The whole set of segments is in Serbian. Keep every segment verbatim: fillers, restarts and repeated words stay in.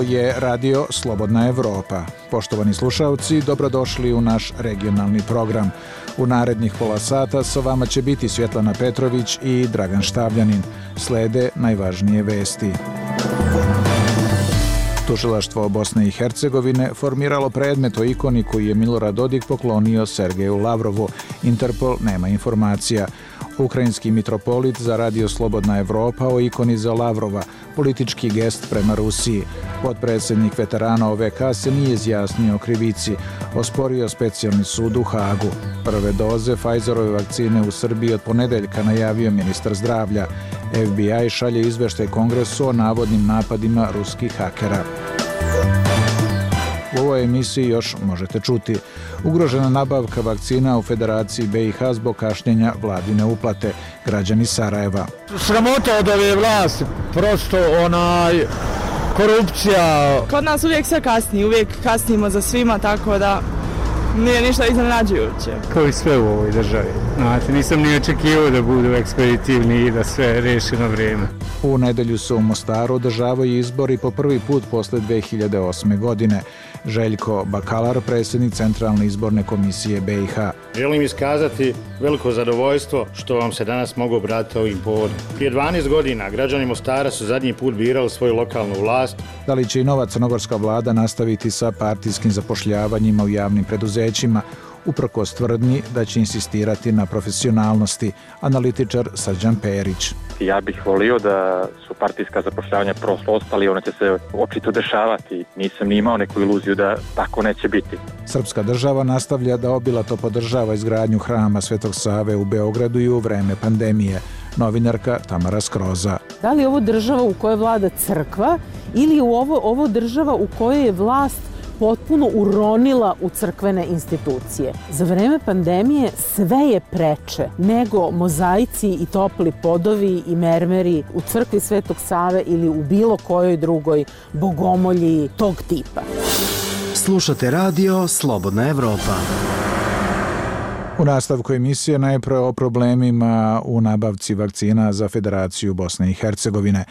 Ovo je Radio Slobodna Evropa. Poštovani slušalci, dobrodošli u naš regionalni program. U narednih pola sata sa vama će biti Svjetlana Petrović i Dragan Štavljanin. Slede najvažnije vesti. Tužilaštvo Bosne i Hercegovine formiralo predmet o ikoni koji je Milorad Dodik poklonio Sergeju Lavrovu. Interpol nema informacija. Ukrajinski mitropolit za Radio Slobodna Evropa o ikoni za Lavrova, politički gest prema Rusiji. Potpredsjednik veterana O V K se nije izjasnio o krivici, osporio specijalni sud u Hagu. Prve doze Pfizerove vakcine u Srbiji od ponedeljka najavio ministar zdravlja. F B I šalje izveštaj Kongresu o navodnim napadima ruskih hakera. U ovoj emisiji još možete čuti: ugrožena nabavka vakcina u Federaciji B i H zbog kašnjenja vladine uplate, građani Sarajeva. Sramota od ove vlasti, prosto onaj korupcija. Kod nas uvijek sve kasni, uvijek kasnimo za svima, tako da nije ništa iznenađujuće. Kao i sve u ovoj državi. Znate, nisam ni očekivao da budu ekspeditivni i da sve reši na vrijeme. U nedelju se u Mostaru održavaju izbori po prvi put posle dve hiljade osme. godine. Željko Bakalar, predsjednik Centralne izborne komisije B i H. Želim iskazati veliko zadovoljstvo što vam se danas mogu obratiti ovim povodom. Prije dvanaest godina građani Mostara su zadnji put birali svoju lokalnu vlast. Da li će i nova crnogorska vlada nastaviti sa partijskim zapošljavanjima u javnim preduzećima, uprkos tvrdnji da će insistirati na profesionalnosti, analitičar Srđan Perić. Ja bih volio da su partijska zapošljavanja prosto ostali, ona će se očito dešavati. Nisam ni imao neku iluziju da tako neće biti. Srpska država nastavlja da obilato podržava izgradnju hrama Svetog Save u Beogradu i u vreme pandemije. Novinarka Tamara Skroza. Da li je ovo država u kojoj vlada crkva ili je ovo, ovo država u kojoj je vlast potpuno uronila u crkvene institucije? Za vreme pandemije sve je preče nego mozaici i topli podovi i mermeri u crkvi Svetog Save ili u bilo kojoj drugoj bogomolji tog tipa. Slušate Radio Slobodna Evropa. U nastavku emisije najpre o problemima u nabavci vakcina za Federaciju Bosne i Hercegovine.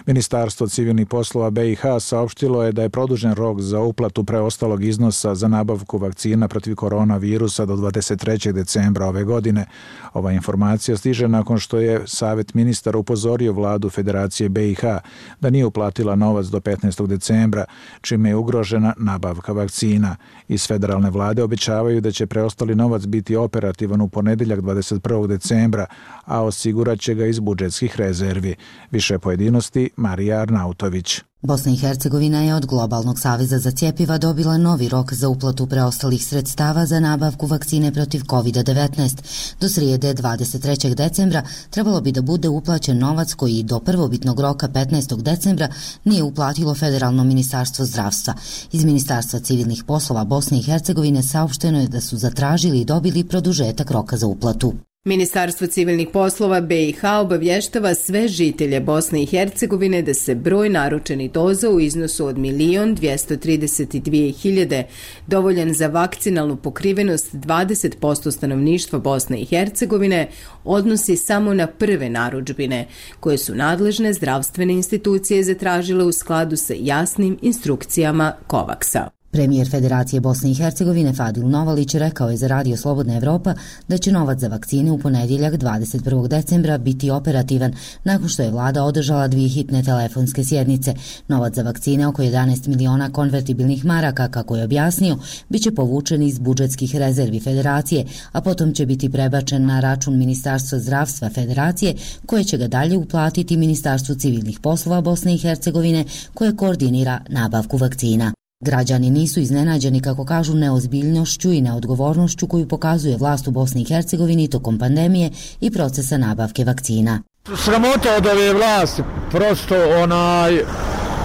Ministarstvo civilnih poslova B i H saopštilo je da je produžen rok za uplatu preostalog iznosa za nabavku vakcina protiv koronavirusa do dvadeset trećeg decembra ove godine. Ova informacija stiže nakon što je Savet ministara upozorio vladu Federacije B i H da nije uplatila novac do petnaestog decembra, čime je ugrožena nabavka vakcina. Iz federalne vlade obećavaju da će preostali novac biti operativan u ponedeljak dvadeset prvog decembra, a osigurat će ga iz budžetskih rezervi. Više pojedinosti Marija Arnautović. Bosna i Hercegovina je od Globalnog saveza za cjepiva dobila novi rok za uplatu preostalih sredstava za nabavku vakcine protiv kovid devetnaest. Do srijede dvadeset trećeg decembra trebalo bi da bude uplaćen novac koji do prvobitnog roka petnaestog decembra nije uplatilo Federalno ministarstvo zdravstva. Iz Ministarstva civilnih poslova Bosne i Hercegovine saopšteno je da su zatražili i dobili produžetak roka za uplatu. Ministarstvo civilnih poslova B i H obavještava sve žitelje Bosne i Hercegovine da se broj naručenih doza u iznosu od milion dvjesto trideset dvije hiljade, dovoljan za vakcinalnu pokrivenost dvadeset posto stanovništva Bosne i Hercegovine, odnosi samo na prve narudžbine, koje su nadležne zdravstvene institucije zatražile u skladu sa jasnim instrukcijama Kovaksa. Premijer Federacije Bosne i Hercegovine Fadil Novalić rekao je za Radio Slobodna Evropa da će novac za vakcine u ponedjeljak dvadeset prvog decembra biti operativan nakon što je vlada održala dvije hitne telefonske sjednice. Novac za vakcine, oko jedanaest miliona konvertibilnih maraka, kako je objasnio, bit će povučen iz budžetskih rezervi Federacije, a potom će biti prebačen na račun Ministarstva zdravstva Federacije, koje će ga dalje uplatiti Ministarstvu civilnih poslova Bosne i Hercegovine, koje koordinira nabavku vakcina. Građani nisu iznenađeni, kako kažu, neozbiljnošću i neodgovornošću koju pokazuje vlast u Bosni i Hercegovini tokom pandemije i procesa nabavke vakcina. Sramota od ove vlasti, prosto onaj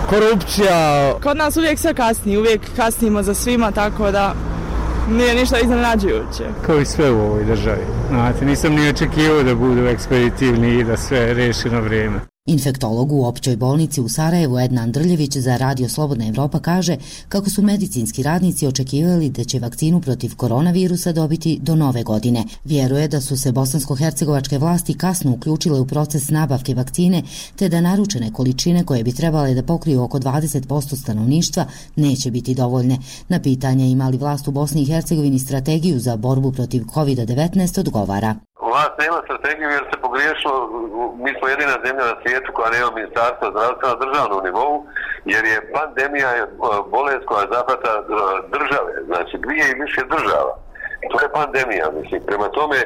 korupcija. Kod nas uvijek sve kasni, uvijek kasnimo za svima, tako da nije ništa iznenađujuće. Kao i sve u ovoj državi. Znate, nisam ni očekivao da budu ekspeditivni i da sve reši na vrijeme. Infektolog u općoj bolnici u Sarajevu Edna Andrljević za Radio Slobodna Evropa kaže kako su medicinski radnici očekivali da će vakcinu protiv koronavirusa dobiti do nove godine. Vjeruje da su se bosansko-hercegovačke vlasti kasno uključile u proces nabavke vakcine, te da naručene količine koje bi trebale da pokriju oko dvadeset posto stanovništva neće biti dovoljne. Na pitanje ima li vlast u Bosni i Hercegovini strategiju za borbu protiv kovid devetnaest odgovara. Vlast nema strategiju jer se pogriješilo, mi smo jedina zemlja na svijetu koja nema ministarstva zdravstva na državnom nivou, jer je pandemija bolest koja zahvata države, znači dvije i više država. To je pandemija, mislim. Prema tome,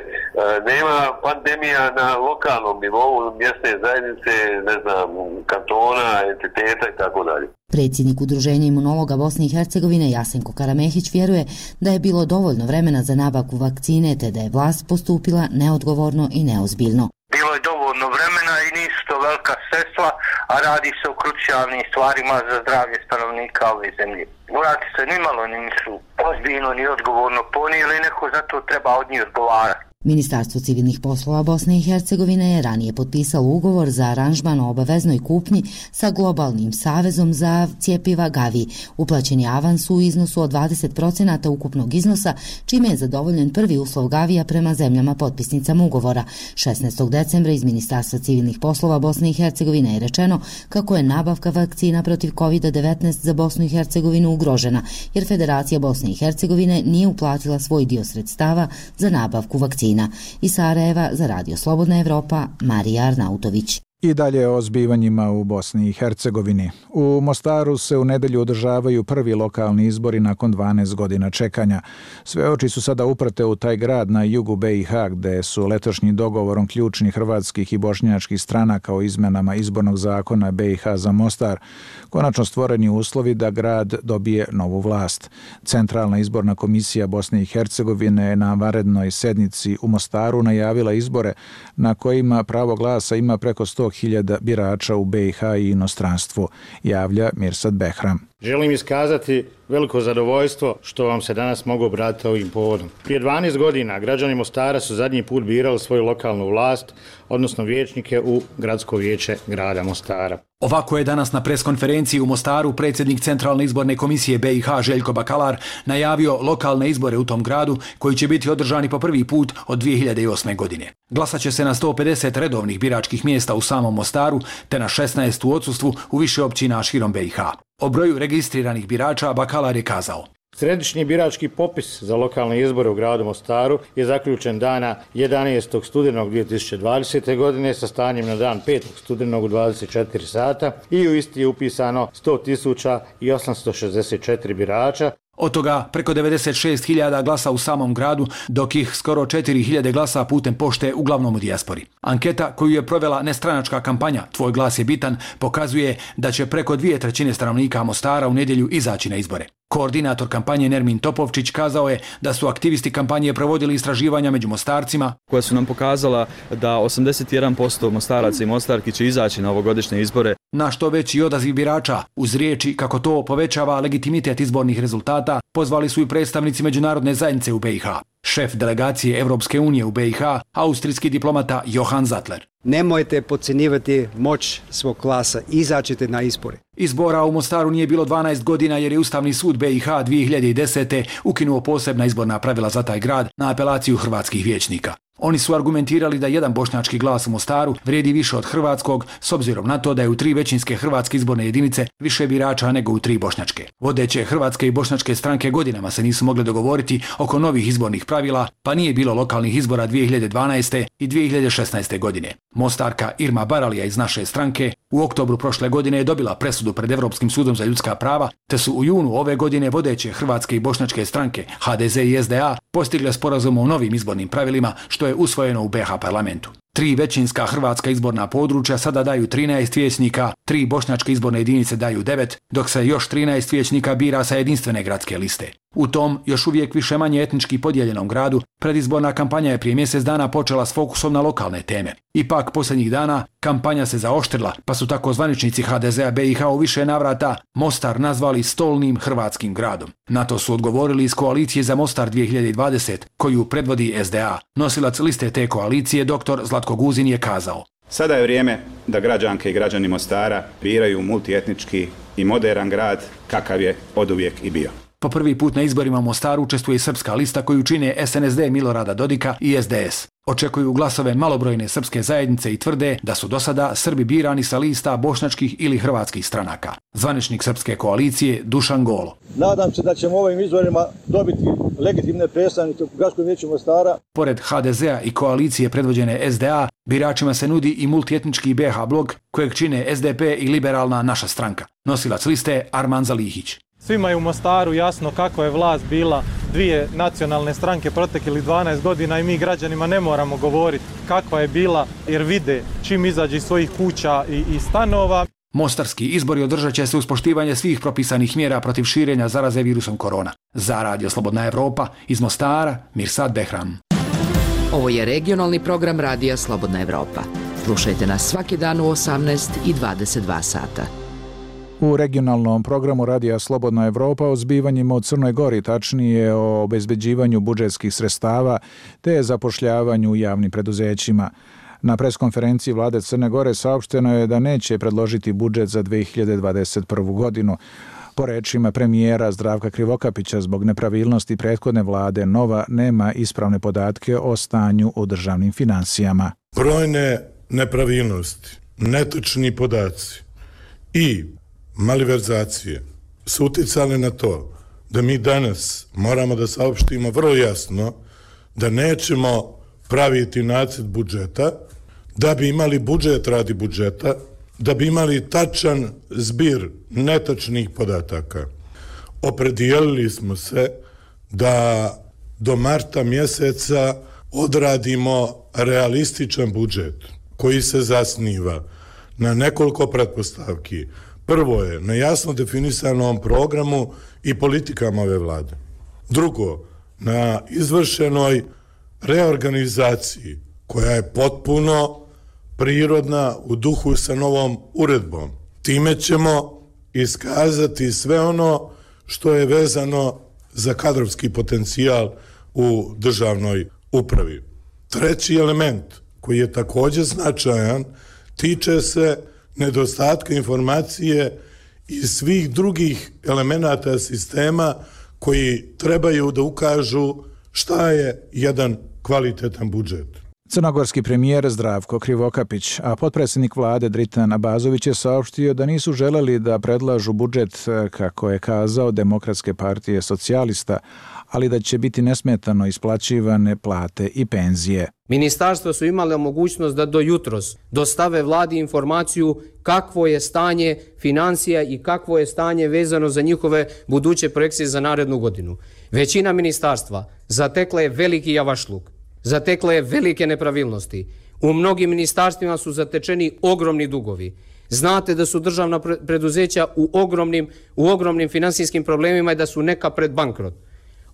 nema pandemija na lokalnom nivou, mjesne zajednice, ne znam, kantona, entiteta i tako dalje. Predsjednik Udruženja imunologa Bosne i Hercegovine Jasenko Karamehić vjeruje da je bilo dovoljno vremena za nabavku vakcine, te da je vlast postupila neodgovorno i neozbiljno. Bilo je dovoljno vremena i nisu to velika sredstva, a radi se o krucijalnim stvarima za zdravlje stanovnika ove zemlje. Morati se nimalo nisu ozbiljno ni odgovorno ponijeli, neko za to treba od njih odgovarati. Ministarstvo civilnih poslova Bosne i Hercegovine je ranije potpisalo ugovor za aranžman o obaveznoj kupnji sa globalnim savezom za cjepiva Gavi. Uplaćen je avans u iznosu od dvadeset posto ukupnog iznosa, čime je zadovoljen prvi uslov Gavija prema zemljama potpisnicama ugovora. šesnaestog decembra iz Ministarstva civilnih poslova Bosne i Hercegovine je rečeno kako je nabavka vakcina protiv kovid devetnaest za Bosnu i Hercegovinu ugrožena, jer Federacija Bosne i Hercegovine nije uplatila svoj dio sredstava za nabavku vakcina. Iz Sarajeva za Radio Slobodna Evropa, Marija Arnautović. I dalje o zbivanjima u Bosni i Hercegovini. U Mostaru se u nedelju održavaju prvi lokalni izbori nakon dvanaest godina čekanja. Sve oči su sada uprte u taj grad na jugu B i H, gde su letošnji dogovorom ključnih hrvatskih i bošnjačkih stranaka o izmenama izbornog zakona B i H za Mostar konačno stvoreni uslovi da grad dobije novu vlast. Centralna izborna komisija Bosne i Hercegovine je na vanrednoj sednici u Mostaru najavila izbore na kojima pravo glasa ima preko sto hiljada birača u B i H i inostranstvu, javlja Mirsad Behram. Želim iskazati veliko zadovoljstvo što vam se danas mogu obratiti ovim povodom. Prije dvanaest godina građani Mostara su zadnji put birali svoju lokalnu vlast, odnosno vijećnike u gradsko vijeće grada Mostara. Ovako je danas na preskonferenciji u Mostaru predsjednik Centralne izborne komisije B i H Željko Bakalar najavio lokalne izbore u tom gradu koji će biti održani po prvi put od dvije hiljade osme. godine. Glasat će se na sto pedeset redovnih biračkih mjesta u samom Mostaru te na šesnaest u odsustvu u više općina širom B i H. O broju registriranih birača Bakalar je kazao: Središnji birački popis za lokalne izbore u gradu Mostaru je zaključen dana jedanaestog studenog dvije tisuće dvadesete. godine sa stanjem na dan petog studenog u dvadeset četiri sata i u isti je upisano sto tisuća osamsto šezdeset četiri birača. Od toga preko devedeset šest hiljada glasa u samom gradu, dok ih skoro četiri hiljade glasa putem pošte uglavnom u dijaspori. Anketa koju je provela nestranačka kampanja Tvoj glas je bitan pokazuje da će preko dvije trećine stanovnika Mostara u nedjelju izaći na izbore. Koordinator kampanje Nermin Topovčić kazao je da su aktivisti kampanje provodili istraživanja među Mostarcima koja su nam pokazala da osamdeset jedan posto Mostaraca i Mostarki će izaći na ovogodišnje izbore. Na što veći odaziv birača, uz riječi kako to povećava legitimitet izbornih rezultata, pozvali su i predstavnici međunarodne zajednice u B i H. Šef delegacije Evropske unije u B i H, austrijski diplomata Johan Zattler. Nemojte podcjenjivati moć svog glasa, izađite na izbore. Izbora u Mostaru nije bilo dvanaest godina jer je Ustavni sud B i H dvije hiljade desete. ukinuo posebna izborna pravila za taj grad na apelaciju hrvatskih vijećnika. Oni su argumentirali da jedan bošnjački glas u Mostaru vrijedi više od hrvatskog, s obzirom na to da je u tri većinske hrvatske izborne jedinice više birača nego u tri bošnjačke. Vodeće hrvatske i bošnjačke stranke godinama se nisu mogle dogovoriti oko novih izbornih pravila, pa nije bilo lokalnih izbora dvije hiljade dvanaeste. i dvije hiljade šesnaeste. godine. Mostarka Irma Baralija iz naše stranke u oktobru prošle godine je dobila presudu pred Europskim sudom za ljudska prava, te su u junu ove godine vodeće hrvatske i bošnjačke stranke H D Z i S D A postigle sporazum o novim izbornim pravilima, što je usvojeno u B i H parlamentu. Tri većinska hrvatska izborna područja sada daju trinaest vijećnika, tri bošnjačke izborne jedinice daju devet, dok se još trinaest vijećnika bira sa jedinstvene gradske liste. U tom, još uvijek više manje etnički podijeljenom gradu, predizborna kampanja je prije mjesec dana počela s fokusom na lokalne teme. Ipak, posljednjih dana, kampanja se zaoštrila, pa su tako zvaničnici H D Z A B i H u više navrata Mostar nazvali stolnim hrvatskim gradom. Na to su odgovorili iz koalicije za Mostar dvije hiljade dvadesete, koju predvodi S D A. Nosilac liste te koalicije, doktor Zlatko Guzin, je kazao: Sada je vrijeme da građanke i građani Mostara biraju multietnički i modern grad kakav je oduvijek i bio. Po prvi put na izborima u Mostaru učestvuje i srpska lista koju čine S N S D Milorada Dodika i S D S. Očekuju glasove malobrojne srpske zajednice i tvrde da su do sada Srbi birani sa lista bošnjačkih ili hrvatskih stranaka. Zvaničnik srpske koalicije Dušan Golo. Nadam se da ćemo ovim izborima dobiti legitimne predstavnike u Gradskom vijeću Mostara. Pored H D Z-a i koalicije predvođene S D A, biračima se nudi i multietnički B H blok kojeg čine S D P i liberalna Naša stranka. Nosilac liste Arman Zalihić. Svima je u Mostaru jasno kako je vlast bila dvije nacionalne stranke proteklih dvanaest godina i mi građanima ne moramo govoriti kakva je bila jer vide čim izađe iz svojih kuća i, i stanova. Mostarski izbori održat će se uz poštivanje svih propisanih mjera protiv širenja zaraze virusom korona. Za Radio Slobodna Evropa iz Mostara, Mirsad Behram. Ovo je regionalni program Radija Slobodna Evropa. Slušajte nas svaki dan u osamnaest i dvadeset dva sata. U regionalnom programu Radija Slobodna Evropa o zbivanjima u Crnoj Gori, tačnije o obezbeđivanju budžetskih sredstava te zapošljavanju u javnim preduzećima. Na preskonferenciji vlade Crne Gore saopšteno je da neće predložiti budžet za dve hiljade dvadeset prvu. godinu. Po rečima premijera Zdravka Krivokapića, zbog nepravilnosti prethodne vlade, nova nema ispravne podatke o stanju u državnim finansijama. Brojne nepravilnosti, netočni podaci i malverzacije su uticale na to da mi danas moramo da saopštimo vrlo jasno da nećemo praviti nacrt budžeta, da bi imali budžet radi budžeta, da bi imali tačan zbir netačnih podataka. Opredijelili smo se da do marta mjeseca odradimo realističan budžet koji se zasniva na nekoliko pretpostavki. Prvo je na jasno definisanom programu i politikama ove vlade. Drugo, na izvršenoj reorganizaciji koja je potpuno prirodna u duhu sa novom uredbom. Time ćemo iskazati sve ono što je vezano za kadrovski potencijal u državnoj upravi. Treći element koji je također značajan tiče se nedostatka informacije i svih drugih elemenata sistema koji trebaju da ukažu šta je jedan kvalitetan budžet. Crnogorski premijer Zdravko Krivokapić, a potpredsjednik vlade Dritan Abazović je saopštio da nisu želeli da predlažu budžet, kako je kazao, Demokratske partije socijalista, ali da će biti nesmetano isplaćivane plate i penzije. Ministarstva su imale mogućnost da do jutros dostave vladi informaciju kakvo je stanje financija i kakvo je stanje vezano za njihove buduće projekcije za narednu godinu. Većina ministarstva zatekla je veliki javašluk, zatekla je velike nepravilnosti. U mnogim ministarstvima su zatečeni ogromni dugovi. Znate da su državna preduzeća u ogromnim, u ogromnim finansijskim problemima i da su neka pred bankrot.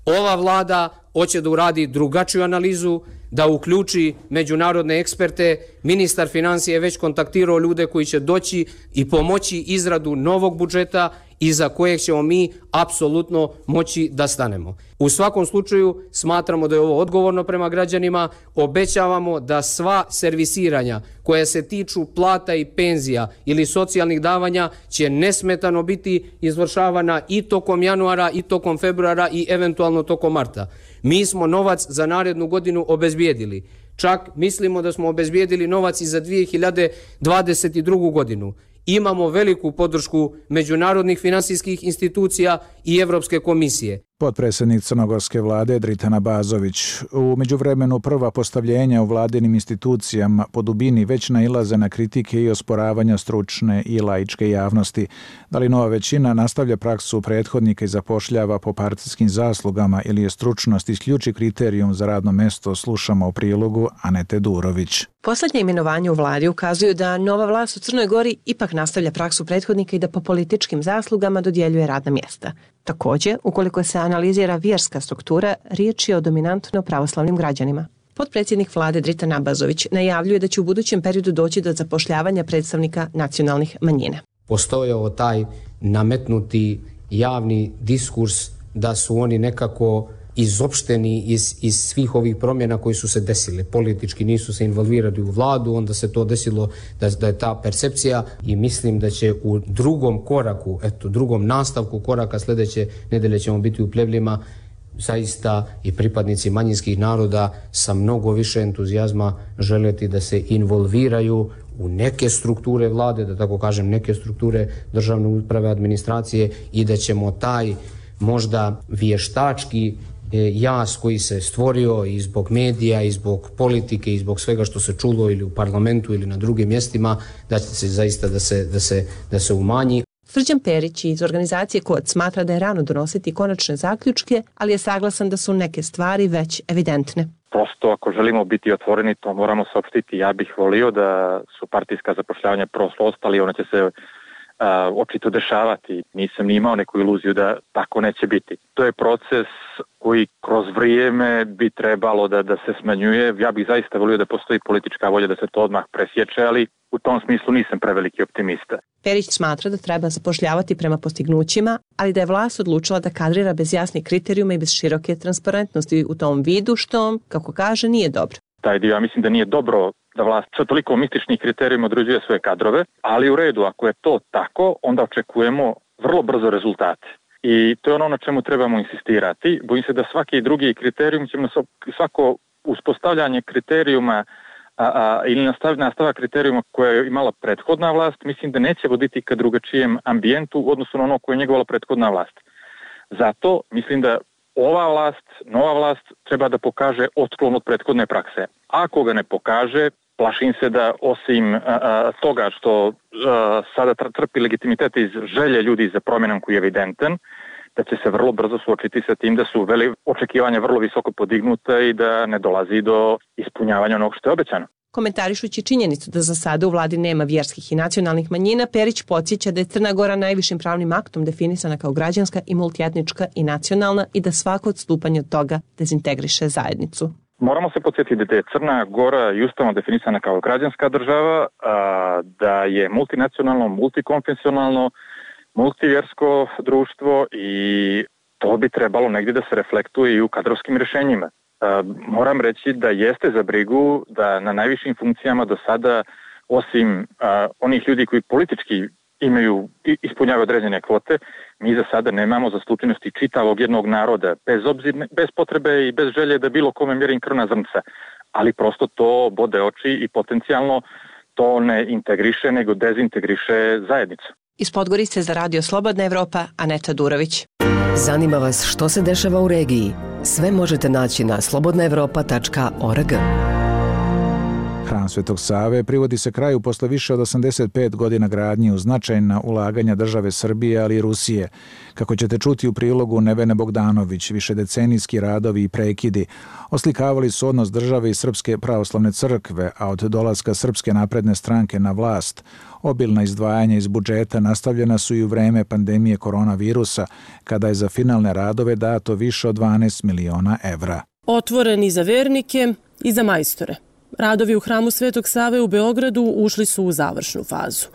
Ova vlada hoće da uradi drugačiju analizu, da uključi međunarodne eksperte. Ministar financija je već kontaktirao ljude koji će doći i pomoći izradu novog budžeta iza kojeg ćemo mi apsolutno moći da stanemo. U svakom slučaju smatramo da je ovo odgovorno prema građanima, obećavamo da sva servisiranja koja se tiču plata i penzija ili socijalnih davanja će nesmetano biti izvršavana i tokom januara i tokom februara i eventualno tokom marta. Mi smo novac za narednu godinu obezbijedili. Čak mislimo da smo obezbijedili novac i za dvije hiljade dvadeset drugu. godinu. Imamo veliku podršku međunarodnih finansijskih institucija i Evropske komisije. Potpredsjednik crnogorske vlade Dritan Abazović. U međuvremenu prva postavljenja u vladinim institucijama po dubini već nailaze na kritike i osporavanja stručne i laičke javnosti. Da li nova većina nastavlja praksu prethodnika i zapošljava po partijskim zaslugama ili je stručnost isključi kriterijum za radno mesto, slušamo u prilogu Anete Durović. Poslednje imenovanje u vladi ukazuju da nova vlast u Crnoj Gori ipak nastavlja praksu prethodnika i da po političkim zaslugama dodjeljuje radna mjesta. Također, ukoliko se analizira vjerska struktura, riječ je o dominantno pravoslavnim građanima. Potpredsjednik vlade Dritan Abazović najavljuje da će u budućem periodu doći do zapošljavanja predstavnika nacionalnih manjina. Postojao taj nametnuti javni diskurs da su oni nekako izopšteni iz, iz svih ovih promjena koji su se desile. Politički nisu se involvirali u vladu, onda se to desilo da, da je ta percepcija i mislim da će u drugom koraku, eto, drugom nastavku koraka sljedeće nedelje ćemo biti u Plevljima zaista i pripadnici manjinskih naroda sa mnogo više entuzijazma želeti da se involviraju u neke strukture vlade, da tako kažem, neke strukture državne uprave, administracije i da ćemo taj možda vještački jaz koji se stvorio i zbog medija i zbog politike i zbog svega što se čulo ili u parlamentu ili na drugim mjestima, da će se zaista da se, da se, da se umanji. Srđan Perić iz organizacije Kod smatra da je rano donositi konačne zaključke, ali je saglasan da su neke stvari već evidentne. Prosto ako želimo biti otvoreni, to moramo saopštiti. Ja bih volio da su partijska zapošljavanja prošlo ostali, ona će se uh, očito dešavati. Nisam ni imao neku iluziju da tako neće biti. To je proces koji kroz vrijeme bi trebalo da, da se smanjuje. Ja bih zaista volio da postoji politička volja da se to odmah presječe, ali u tom smislu nisam preveliki optimista. Perić smatra da treba zapošljavati prema postignućima, ali da je vlast odlučila da kadrira bez jasnih kriterijuma i bez široke transparentnosti u tom vidu, što, kako kaže, nije dobro. Taj dio, ja mislim da nije dobro da vlast sa toliko mističnih kriterijuma određuje svoje kadrove, ali u redu, ako je to tako, onda očekujemo vrlo brzo rezultate. I to je ono na čemu trebamo insistirati. Bojim se da svaki drugi kriterijum ćemo svako uspostavljanje kriterijuma a, a, ili nastav, nastava kriterijuma koje je imala prethodna vlast, mislim da neće voditi ka drugačijem ambijentu u odnosu na ono koje je njegovala prethodna vlast. Zato mislim da ova vlast, nova vlast treba da pokaže otklon od prethodne prakse. Ako ga ne pokaže, plašim se da osim a, a, toga što a, sada trpi legitimitet iz želje ljudi za promjenom koji je evidentan, da će se vrlo brzo suočiti sa tim da su veli, očekivanja vrlo visoko podignuta i da ne dolazi do ispunjavanja onog što je obećano. Komentarišući činjenicu da za sada u vladi nema vjerskih i nacionalnih manjina, Perić podsjeća da je Crna Gora najvišim pravnim aktom definisana kao građanska i multietnička i nacionalna i da svako odstupanje od toga dezintegriše zajednicu. Moramo se podsjetiti da je Crna Gora i ustavno definisana kao građanska država, a, da je multinacionalno, multikonfesionalno, multivjersko društvo i to bi trebalo negdje da se reflektuje i u kadrovskim rješenjima. E, moram reći da jeste za brigu da na najvišim funkcijama do sada, osim a, onih ljudi koji politički imaju, ispunjavaju određene kvote, mi za sada nemamo zastupljenosti čitavog jednog naroda, bez obzir, bez potrebe i bez želje da bilo kome mjerim krvna zrnca, ali prosto to bode oči i potencijalno to ne integriše, nego dezintegriše zajednicu. Iz Podgorice za Radio Slobodna Evropa, Aneta Durović. Zanima vas što se dešava u regiji? Sve možete naći na slobodna evropa tačka org. Hram Svetog Save privodi se kraju posle više od osamdeset pet godina gradnje uz značajna ulaganja države Srbije, ali i Rusije. Kako ćete čuti u prilogu Nevene Bogdanović, višedecenijski radovi i prekidi oslikavali su odnos države i Srpske pravoslavne crkve, a od dolaska Srpske napredne stranke na vlast, obilna izdvajanja iz budžeta nastavljena su i u vreme pandemije koronavirusa, kada je za finalne radove dato više od dvanaest miliona evra. Otvoreni za vernike i za majstore. Radovi u Hramu Svetog Save u Beogradu ušli su u završnu fazu.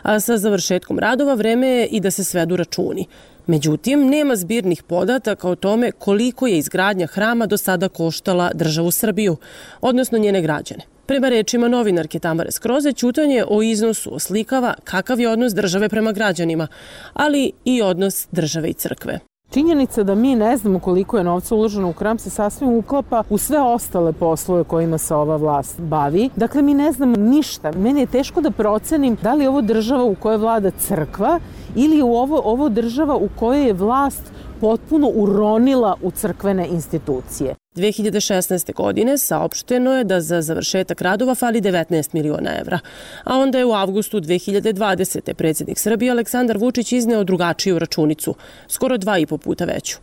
A sa završetkom radova vreme je i da se svedu računi. Međutim, nema zbirnih podataka o tome koliko je izgradnja hrama do sada koštala državu Srbiju, odnosno njene građane. Prema rečima novinarke Tamare Skroze, ćutanje o iznosu oslikava kakav je odnos države prema građanima, ali i odnos države i crkve. Činjenica da mi ne znamo koliko je novca uloženo u hram se sasvim uklapa u sve ostale poslove kojima se ova vlast bavi. Dakle, mi ne znamo ništa. Meni je teško da procenim da li je ovo država u kojoj vlada crkva ili je ovo, ovo država u kojoj je vlast potpuno uronila u crkvene institucije. dve hiljade šesnaeste. godine saopšteno je da za završetak radova fali devetnaest miliona evra, a onda je u avgustu dve hiljade dvadesete. predsjednik Srbije Aleksandar Vučić izneo drugačiju računicu, skoro dva i po puta veću.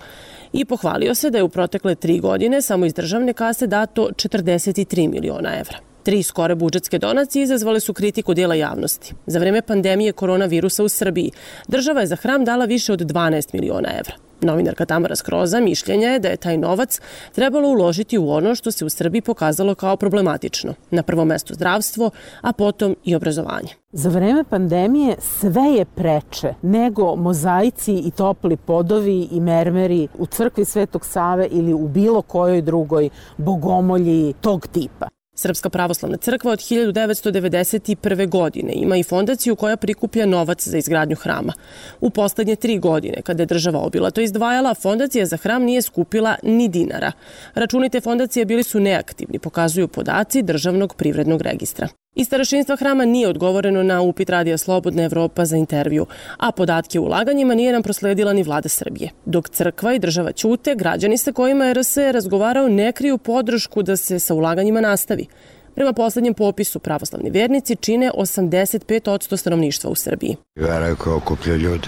I pohvalio se da je u protekle tri godine samo iz državne kase dato četrdeset tri miliona evra. Tri skore budžetske donacije izazvale su kritiku dijela javnosti. Za vreme pandemije koronavirusa u Srbiji država je za hram dala više od dvanaest miliona evra. Novinarka Tamara Skroza mišljenja je da je taj novac trebalo uložiti u ono što se u Srbiji pokazalo kao problematično. Na prvom mestu zdravstvo, a potom i obrazovanje. Za vreme pandemije sve je preče nego mozaici i topli podovi i mermeri u crkvi Svetog Save ili u bilo kojoj drugoj bogomolji tog tipa. Srpska pravoslavna crkva od hiljadu devetsto devedeset prve. godine ima i fondaciju koja prikuplja novac za izgradnju hrama. U poslednje tri godine, kada je država obilato izdvajala, fondacija za hram nije skupila ni dinara. Računi te fondacije bili su neaktivni, pokazuju podaci Državnog privrednog registra. Iz starešinstva hrama nije odgovoreno na upit Radija Slobodna Evropa za intervju, a podatke o ulaganjima nije nam prosledila ni vlada Srbije. Dok crkva i država ćute, građani sa kojima je R S razgovarao ne kriju podršku da se sa ulaganjima nastavi. Prema poslednjem popisu, pravoslavni vernici čine osamdeset pet posto stanovništva u Srbiji. Vera koja okuplja ljude.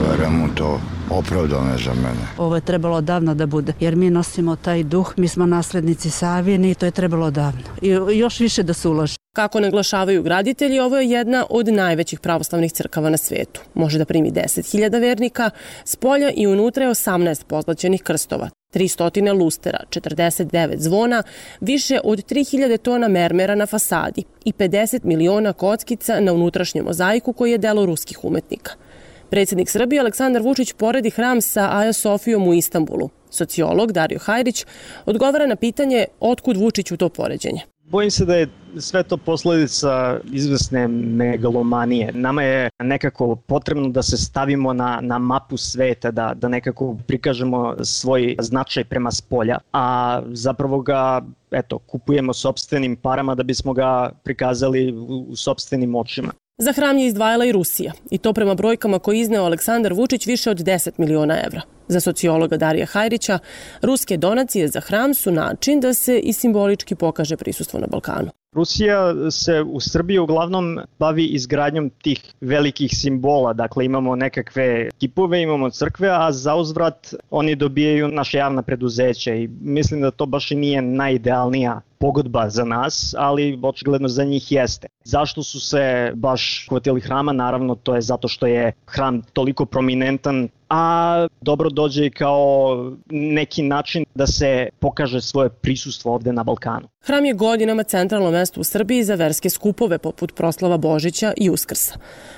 Vera mu to opravdano za mene. Ovo je trebalo davno da bude, jer mi nosimo taj duh, mi smo naslednici Savine i to je trebalo davno. I još više da se uloži. Kako naglašavaju graditelji, ovo je jedna od najvećih pravoslavnih crkava na svetu. Može da primi deset hiljada vernika, spolja i unutra je osamnaest pozlaćenih krstova, tristo lustera, četrdeset devet zvona, više od tri hiljade tona mermera na fasadi i pedeset miliona kockica na unutrašnjem mozaiku koji je delo ruskih umetnika. Predsjednik Srbije Aleksandar Vučić poredi hram sa Aja Sofijom u Istanbulu. Sociolog Dario Hajrić odgovara na pitanje otkud Vučiću to poređenje. Bojim se da je sve to posledica izvesne megalomanije. Nama je nekako potrebno da se stavimo na, na mapu sveta, da, da nekako prikažemo svoj značaj prema spolja, a zapravo ga eto, kupujemo sopstvenim parama da bismo ga prikazali u, u sopstvenim očima. Za hram je izdvajala i Rusija, i to prema brojkama koje izneo Aleksandar Vučić više od deset miliona evra. Za sociologa Darija Hajrića, ruske donacije za hram su način da se i simbolički pokaže prisustvo na Balkanu. Rusija se u Srbiji uglavnom bavi izgradnjom tih velikih simbola, dakle imamo nekakve kipove, imamo crkve, a za uzvrat oni dobijaju naše javna preduzeća i mislim da to baš i nije najidealnija pogodba za nas, ali očigledno za njih jeste. Zašto su se baš hvatili hrama? Naravno, to je zato što je hram toliko prominentan, a dobro dođe i kao neki način da se pokaže svoje prisustvo ovde na Balkanu. Hram je godinama centralno mesto u Srbiji za verske skupove poput proslava Božića i Uskrsa.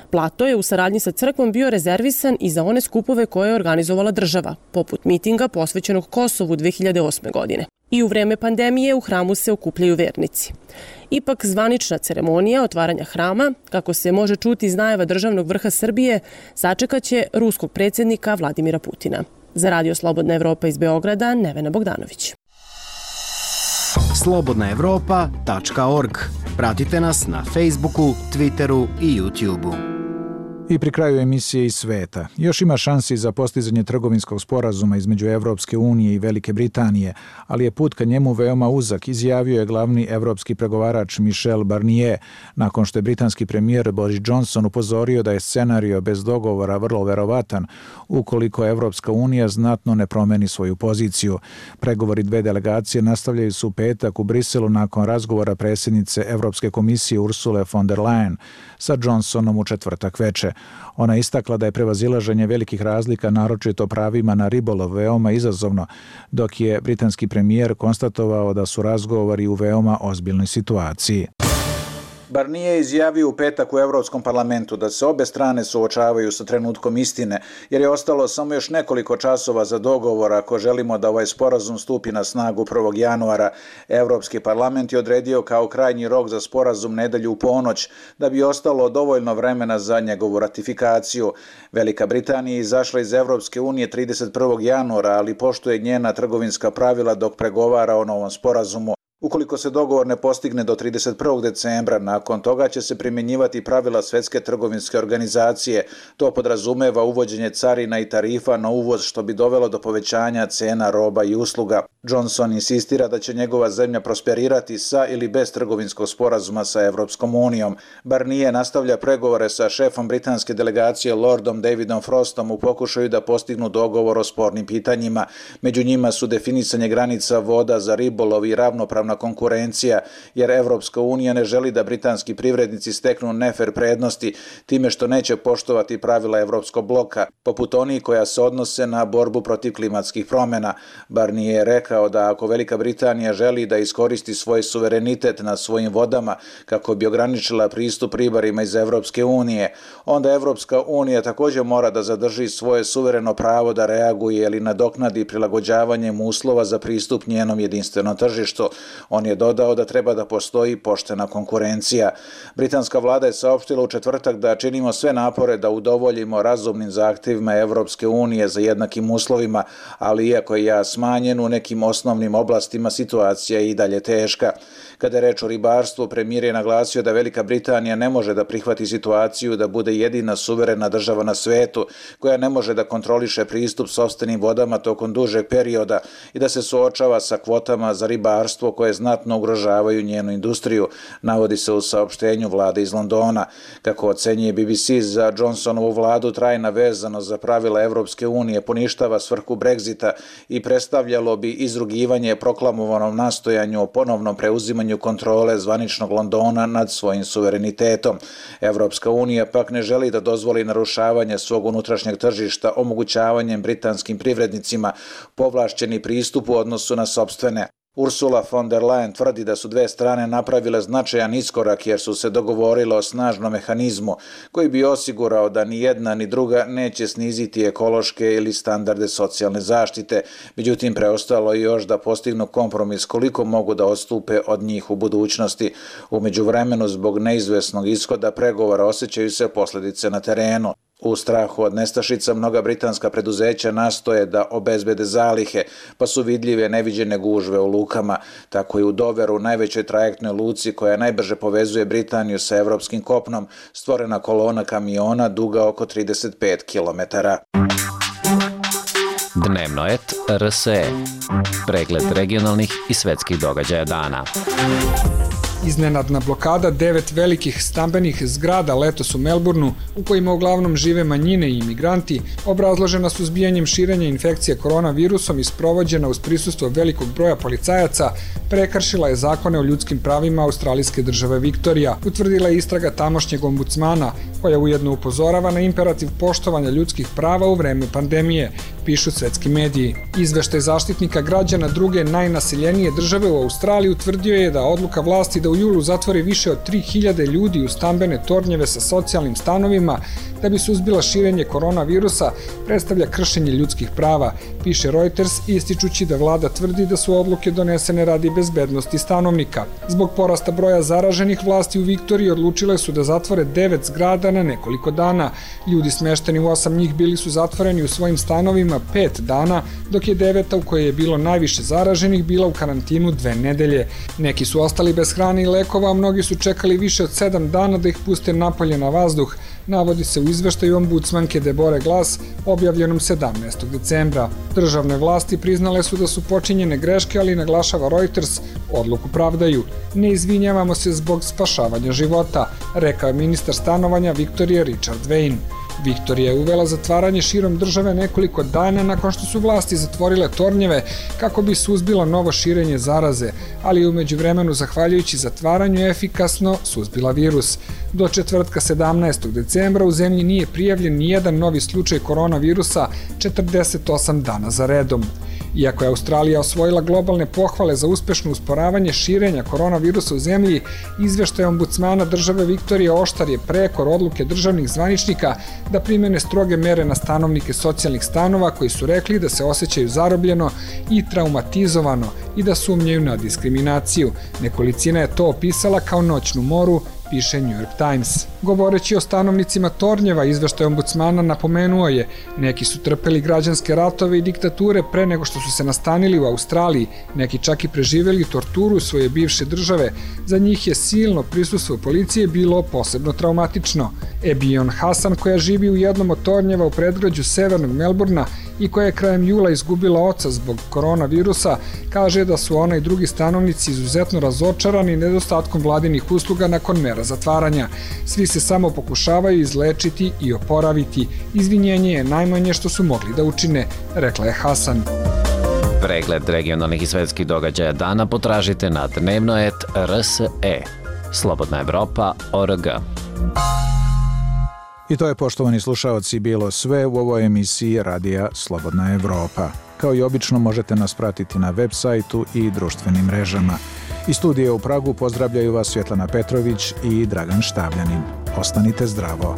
Plato je u saradnji sa crkvom bio rezervisan i za one skupove koje je organizovala država, poput mitinga posvećenog Kosovu dve hiljade osme. godine. I u vreme pandemije u hramu se okupljaju vernici. Ipak zvanična ceremonija otvaranja hrama, kako se može čuti iz najava državnog vrha Srbije, sačekaće ruskog predsjednika Vladimira Putina. Za Radio Slobodna Evropa iz Beograda, Nevena Bogdanović. slobodna evropa tačka org. Pratite nas na Facebooku, Twitteru i YouTubeu. I pri kraju emisije iz sveta. Još ima šansi za postizanje trgovinskog sporazuma između Evropske unije i Velike Britanije, ali je put ka njemu veoma uzak, izjavio je glavni evropski pregovarač Michel Barnier, nakon što je britanski premijer Boris Johnson upozorio da je scenario bez dogovora vrlo verovatan ukoliko Evropska unija znatno ne promeni svoju poziciju. Pregovori dve delegacije nastavljaju se u petak u Briselu nakon razgovora predsjednice Evropske komisije Ursule von der Leyen sa Johnsonom u četvrtak veče. Ona je istakla da je prevazilaženje velikih razlika, naročito pravima na ribolov, veoma izazovno, dok je britanski premijer konstatovao da su razgovori u veoma ozbiljnoj situaciji. Barnier je izjavio u petak u Evropskom parlamentu da se obe strane suočavaju sa trenutkom istine, jer je ostalo samo još nekoliko časova za dogovor ako želimo da ovaj sporazum stupi na snagu prvog januara. Evropski parlament je odredio kao krajnji rok za sporazum nedelju u ponoć, da bi ostalo dovoljno vremena za njegovu ratifikaciju. Velika Britanija je izašla iz Evropske unije trideset prvog januara, ali poštuje njena trgovinska pravila dok pregovara o novom sporazumu. Ukoliko se dogovor ne postigne do trideset prvog decembra, nakon toga će se primjenjivati pravila Svetske trgovinske organizacije. To podrazumeva uvođenje carina i tarifa na uvoz, što bi dovelo do povećanja cena roba i usluga. Johnson insistira da će njegova zemlja prosperirati sa ili bez trgovinskog sporazuma sa Evropskom unijom. Barnier nastavlja pregovore sa šefom britanske delegacije Lordom Davidom Frostom u pokušaju da postignu dogovor o spornim pitanjima. Među njima su definisanje granica voda za ribolov i ravnopravna neispravna konkurencija, jer Evropska unija ne želi da britanski privrednici steknu nefer prednosti time što neće poštovati pravila Evropskog bloka, poput onih koja se odnose na borbu protiv klimatskih promjena. Barnier je rekao da ako Velika Britanija želi da iskoristi svoj suverenitet na svojim vodama kako bi ograničila pristup ribarima iz Evropske unije, onda Evropska unija također mora da zadrži svoje suvereno pravo da reaguje ili nadoknadi prilagođavanjem uslova za pristup njenom jedinstvenom tržištu. On je dodao da treba da postoji poštena konkurencija. Britanska vlada je saopštila u četvrtak da činimo sve napore da udovoljimo razumnim zahtjevima Evropske unije za jednakim uslovima, ali iako je ja smanjen u nekim osnovnim oblastima, situacija je i dalje teška. Kada je reč o ribarstvu, premijer je naglasio da Velika Britanija ne može da prihvati situaciju da bude jedina suverena država na svetu koja ne može da kontroliše pristup sopstvenim vodama tokom dužeg perioda i da se suočava sa kvotama za ribarstvo koje znatno ugrožavaju njenu industriju, navodi se u saopštenju vlade iz Londona. Kako ocenjuje B B C, za Johnsonovu vladu trajna vezanost za pravila Evropske unije poništava svrhu Brexita i predstavljalo bi izrugivanje proklamovanom nastojanju o ponovnom preuzimanju kontrole zvaničnog Londona nad svojim suverenitetom. Evropska unija pak ne želi da dozvoli narušavanje svog unutrašnjeg tržišta omogućavanjem britanskim privrednicima povlašćeni pristup u odnosu na sopstvene. Ursula von der Leyen tvrdi da su dve strane napravile značajan iskorak jer su se dogovorile o snažnom mehanizmu koji bi osigurao da ni jedna ni druga neće sniziti ekološke ili standarde socijalne zaštite. Međutim, preostalo je još da postignu kompromis koliko mogu da odstupe od njih u budućnosti. U međuvremenu, zbog neizvesnog ishoda pregovora osjećaju se posljedice na terenu. U strahu od nestašica mnoga britanska preduzeća nastoje da obezbede zalihe, pa su vidljive neviđene gužve u lukama. Tako i u Doveru, najvećoj trajektnoj luci koja najbrže povezuje Britaniju sa evropskim kopnom, stvorena kolona kamiona duga oko trideset pet kilometara. Dnevno et R S E. Pregled regionalnih i svetskih događaja dana. Iznenadna blokada devet velikih stambenih zgrada letos u Melbourneu, u kojima uglavnom žive manjine i imigranti, obrazložena suzbijanjem širenja infekcije koronavirusom i sprovođena uz prisustvo velikog broja policajaca, prekršila je zakone o ljudskim pravima australijske države Viktorija, utvrdila je istraga tamošnjeg ombudsmana, koja ujedno upozorava na imperativ poštovanja ljudskih prava u vreme pandemije, pišu svetski mediji. Izveštaj zaštitnika građana druge najnaseljenije države u Australiji utvrdio je da odluka vlasti da u julu zatvori više od tri hiljade ljudi u stambene tornjeve sa socijalnim stanovima da bi suzbila širenje koronavirusa predstavlja kršenje ljudskih prava, piše Reuters, ističući da vlada tvrdi da su odluke donesene radi bezbednosti stanovnika. Zbog porasta broja zaraženih, vlasti u Viktoriji odlučile su da zatvore devet zgrada na nekoliko dana. Ljudi smešteni u osam njih bili su zatvoreni u svojim stanovima pet dana, dok je deveta u kojoj je bilo najviše zaraženih bila u karantinu dve nedelje. Neki su ostali bez hrane i lekova, a mnogi su čekali više od sedam dana da ih puste napolje na vazduh, navodi se u izveštaju ombudsmanke Debore Glass objavljenom sedamnaestog decembra. Državne vlasti priznale su da su počinjene greške, ali naglašava Reuters, odluku pravdaju. Ne izvinjavamo se zbog spašavanja života, rekao je ministar stanovanja Viktorije Richard Wayne. Viktorija je uvela zatvaranje širom države nekoliko dana nakon što su vlasti zatvorile tornjeve kako bi suzbila novo širenje zaraze, ali je u međuvremenu, zahvaljujući zatvaranju, efikasno suzbila virus. Do četvrtka sedamnaestog decembra u zemlji nije prijavljen nijedan novi slučaj koronavirusa četrdeset osam dana za redom. Iako je Australija osvojila globalne pohvale za uspešno usporavanje širenja koronavirusa u zemlji, izveštaj ombudsmana države Viktorije oštar je prekor odluke državnih zvaničnika da primene stroge mere na stanovnike socijalnih stanova koji su rekli da se osjećaju zarobljeno i traumatizovano i da sumnjaju na diskriminaciju. Nekolicina je to opisala kao noćnu moru, piše New York Times. Govoreći o stanovnicima tornjeva, izveštaj ombudsmana napomenuo je, neki su trpeli građanske ratove i diktature pre nego što su se nastanili u Australiji, neki čak i preživeli torturu svoje bivše države. Za njih je silno prisustvo policije bilo posebno traumatično. Ebion Hasan, koja živi u jednom od tornjeva u predgrađu severnog Melbourna i koja je krajem jula izgubila oca zbog koronavirusa, kaže da su ona i drugi stanovnici izuzetno razočarani nedostatkom vladinih usluga nakon mera zatvaranja. Svi se samo pokušavaju izlečiti i oporaviti. Izvinjenje je najmanje što su mogli da učine, rekla je Hasan. Pregled regionalnih i svetskih događaja dana potražite na dnevnoet R S E. Slobodna Evropa tačka org. I to je, poštovani slušaoci, bilo sve u ovoj emisiji Radija Slobodna Evropa. Kao i obično možete nas pratiti na web sajtu i društvenim mrežama. Iz studija u Pragu pozdravljaju vas Svjetlana Petrović i Dragan Štavljanin. Ostanite zdravo.